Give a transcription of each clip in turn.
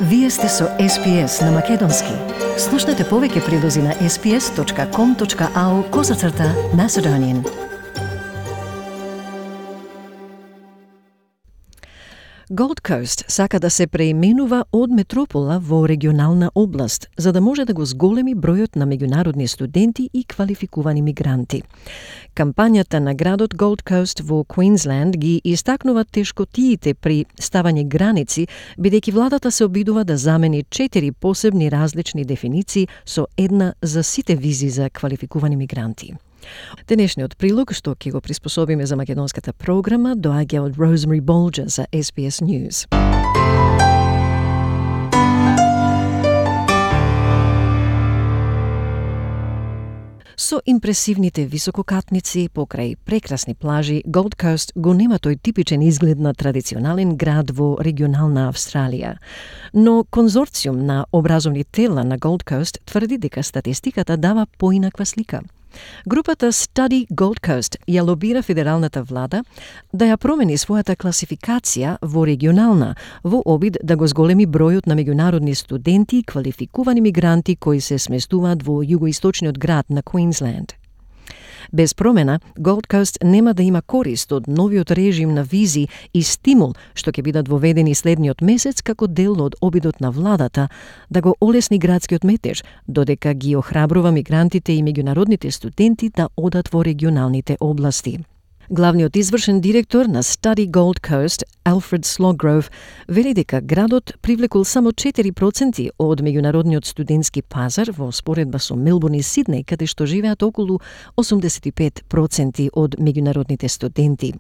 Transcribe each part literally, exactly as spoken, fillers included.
Вие сте со Ес Пи Ес на Македонски. Слушнете повеќе прилози на ес пи ес точка ком точка ау козацрта Macedonian. Gold Coast сака да се преименува од метропола во регионална област, за да може да го зголеми бројот на меѓународни студенти и квалификувани мигранти. Кампањата на градот Gold Coast во Квинсленд ги истакнува тешкотиите при ставање граници, бидејќи владата се обидува да замени четири посебни различни дефиниции со една за сите визи за квалификувани мигранти. Денешниот прилог, што ќе го приспособиме за македонската програма, доаѓа од Rosemary Bolger за Ес Би Ес News. Со импресивните висококатници покрај прекрасни плажи, Gold Coast го нема тој типичен изглед на традиционален град во регионална Австралија. Но конзорциум на образовни тела на Gold Coast тврди дека статистиката дава поинаква слика. Групата Study Gold Coast ја лобира федералната влада да ја промени својата класификација во регионална, во обид да го зголеми бројот на меѓународни студенти и квалификувани мигранти кои се сместуваат во југоисточниот град на Квинсленд. Без промена, Gold Coast нема да има корист од новиот режим на визи и стимул што ќе бидат воведени следниот месец како дел од обидот на владата да го олесни градскиот метеж, додека ги охрабрува мигрантите и меѓународните студенти да одат во регионалните области. Главниот извршен директор на Study Gold Coast, Alfred Slogrove, вели дека градот привлекол само четири проценти од меѓународниот студентски пазар во споредба со Мелбурн и Сиднеј, каде што живеат околу осумдесет и пет проценти од меѓународните студенти.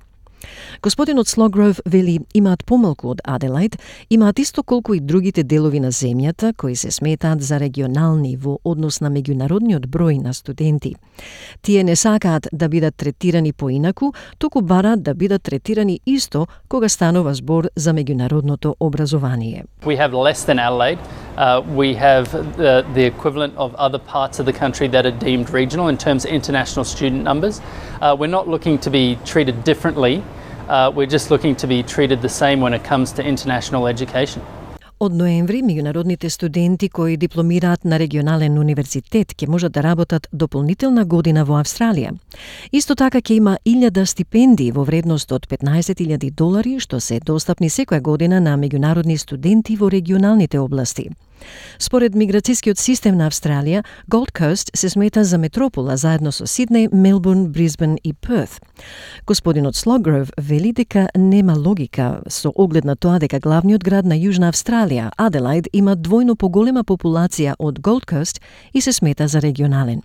Господинот Слогров вели имаат помалку од Аделаид, имаат исто колку и другите делови на земјата кои се сметаат за регионални во однос на меѓународниот број на студенти. Тие не сакаат да бидат третирани поинаку, туку бараат да бидат третирани исто кога станува збор за меѓународното образование. We have less than Adelaide. Uh, we have the, the equivalent of other parts of the country that are deemed regional in terms of international student numbers. Uh, we're not looking to be treated differently. Uh, we're just looking to be treated the same when it comes to international education. Од ноември, меѓународните студенти кои дипломираат на регионален универзитет ќе можат да работат дополнителна година во Австралија. Исто така ќе има илјада стипендии во вредност од петнаесет илјади долари, што се достапни секоја година на меѓународни студенти во регионалните области. Според миграцијскиот систем на Австралија, Gold Coast се смета за метропола заедно со Сиднеј, Мелбурн, Брисбен и Перт. Господинот Слогров вели дека нема логика со оглед на тоа дека главниот град на Јужна Австралија, Аделаид, има двојно поголема популација од Gold Coast и се смета за регионален.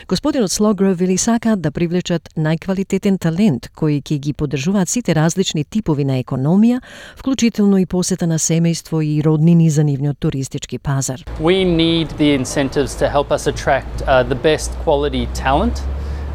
Господинот Слогров вели сакаат да привлечат најквалитетен талент кои ќе ги поддржуваат сите различни типови на економија, вклучително и посета на семејство и роднини за нивниот туристички пазар. We need the incentives to help us attract uh, the best quality talent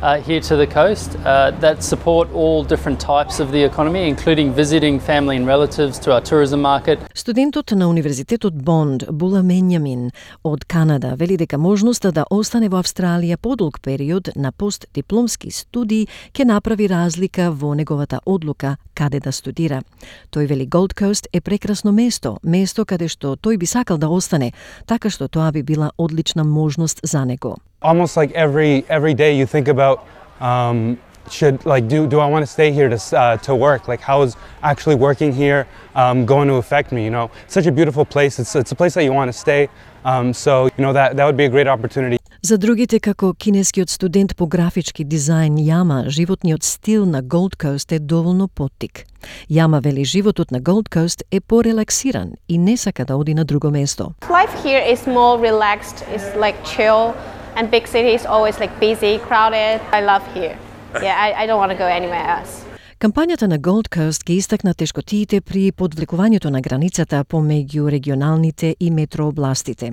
uh, here to the coast uh, that support all different types of the economy, including visiting family and relatives to our tourism market. Студентот на Универзитетот Бонд, Була Менјамин од Канада, вели дека можноста да остане во Австралија подолг период на постдипломски студии ќе направи разлика во неговата одлука каде да студира. Тој вели Gold Coast е прекрасно место, место каде што тој би сакал да остане, така што тоа би била одлична можност за него. Almost like every every day you think about um, should like do do I want to stay here to uh, to work? Like how is actually working here um, going to affect me? You know, it's such a beautiful place. It's it's a place that you want to stay. Um, so you know that that would be a great opportunity. За другите како кинескиот студент по графички дизајн Јама, животниот стил на Gold Coast е доволно поттик. Јама вели животот на Gold Coast е порелаксиран и не сака да оди на друго место. Life here is more relaxed. It's like chill. And big city is always like busy, crowded. I love here. Yeah, I, I don't want to go anywhere else. Кампањата на Gold Coast ги истакна тешкотиите при подвлекувањето на границата помеѓу регионалните и метрообластите.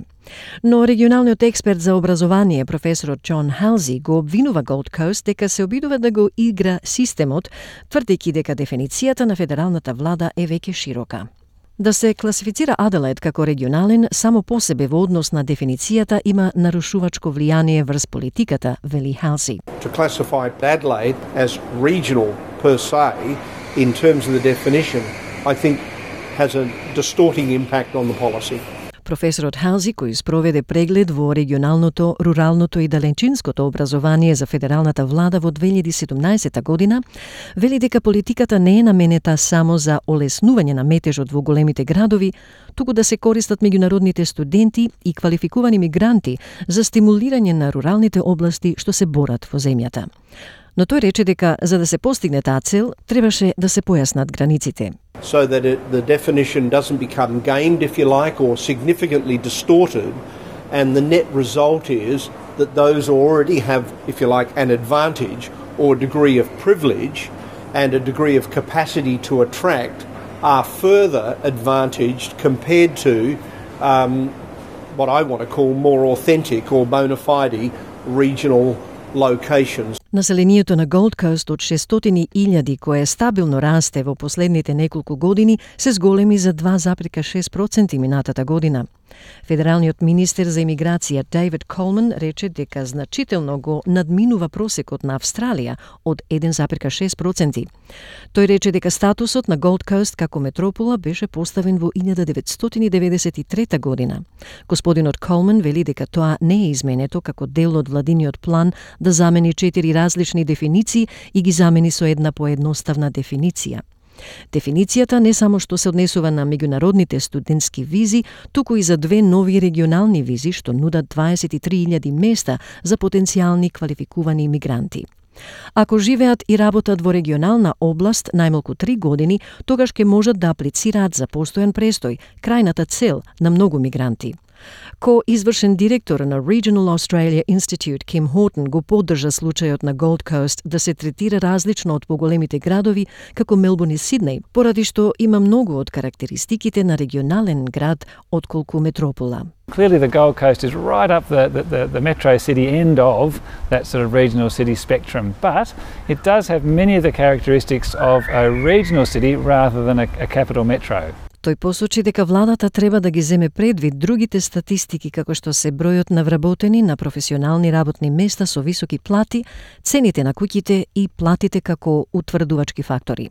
Но регионалниот експерт за образование, професорот Џон Халзи, го обвинува Gold Coast дека се обидува да го игра системот, тврдејќи дека дефиницијата на федералната влада е веќе широка. Да се класифицира Аделаид како регионален само по себе во однос на дефиницијата има нарушувачко влијание врз политиката, вели Халси. To classify Adelaide as regional per se in terms of the definition, I think has a distorting impact on the policy. Професорот Хаузи, кој спроведе преглед во регионалното, руралното и далечинското образование за федералната влада во две илјади и седумнаесета година, вели дека политиката не е наменета само за олеснување на метежот во големите градови, туку да се користат меѓународните студенти и квалификувани мигранти за стимулирање на руралните области што се борат во земјата. Но тој рече дека за да се постигне таа цел, требаше да се појаснат границите. So that it, the definition doesn't become gamed, if you like, or significantly distorted, and the net result is that those who already have, if you like, an advantage or a degree of privilege and a degree of capacity to attract are further advantaged compared to um, what I want to call more authentic or bona fide regional locations. Населението на Gold Coast од шестстотини илјади, кое стабилно расте во последните неколку години, се зголеми за два запирка шест проценти минатата година. Федералниот министер за имиграција Дейвид Колман рече дека значително го надминува просекот на Австралија од еден запирка шест проценти. Тој рече дека статусот на Gold Coast како метропола беше поставен во илјада деветстотини деветдесет и трета година. Господинот Колман вели дека тоа не е изменето како дел од владиниот план да замени четири различни дефиниции и ги замени со една поедноставна дефиниција. Дефиницијата не само што се однесува на меѓународните студентски визи, туку и за две нови регионални визи што нудат дваесет и три илјади места за потенцијални квалификувани мигранти. Ако живеат и работат во регионална област најмалку три години, тогаш ќе можат да аплицираат за постојан престој, крајната цел на многу мигранти. Ко извршен директор на Regional Australia Institute Kim Horton го поддржа случајот на Gold Coast да се третира различно од поголемите градови како Мелбурн и Сиднеј, поради што има многу од карактеристиките на регионален град отколку метропола. Clearly the Gold Coast is right up the, the, the metro city end of that sort of regional city spectrum, but it does have many of the characteristics of a regional city rather than a, a capital metro. Тој посочи дека владата треба да ги земе предвид другите статистики како што се бројот на вработени на професионални работни места со високи плати, цените на куќите и платите како утврдувачки фактори.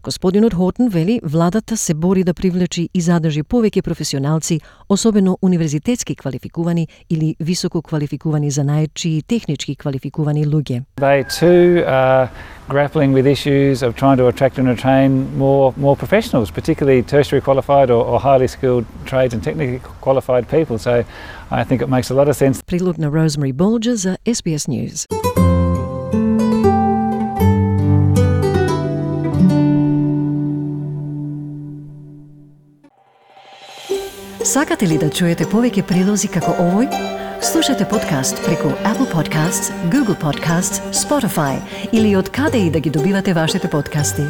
Господинот Хортон вели владата се бори да привлечи и задржи повеќе професионалци, особено универзитетски квалификувани или високо квалификувани занаетчи и технички квалификувани луѓе. They too are grappling with issues of trying to attract and retain more more professionals, particularly tertiary qualified or, or highly skilled trades and technically qualified people. So I think it makes a lot of sense. Прилог на Rosemary Bolger за S B S News. Сакате ли да чуете повеќе прилози како овој? Слушате подкаст преку Apple Podcasts, Google Podcasts, Spotify или од каде и да ги добивате вашите подкасти.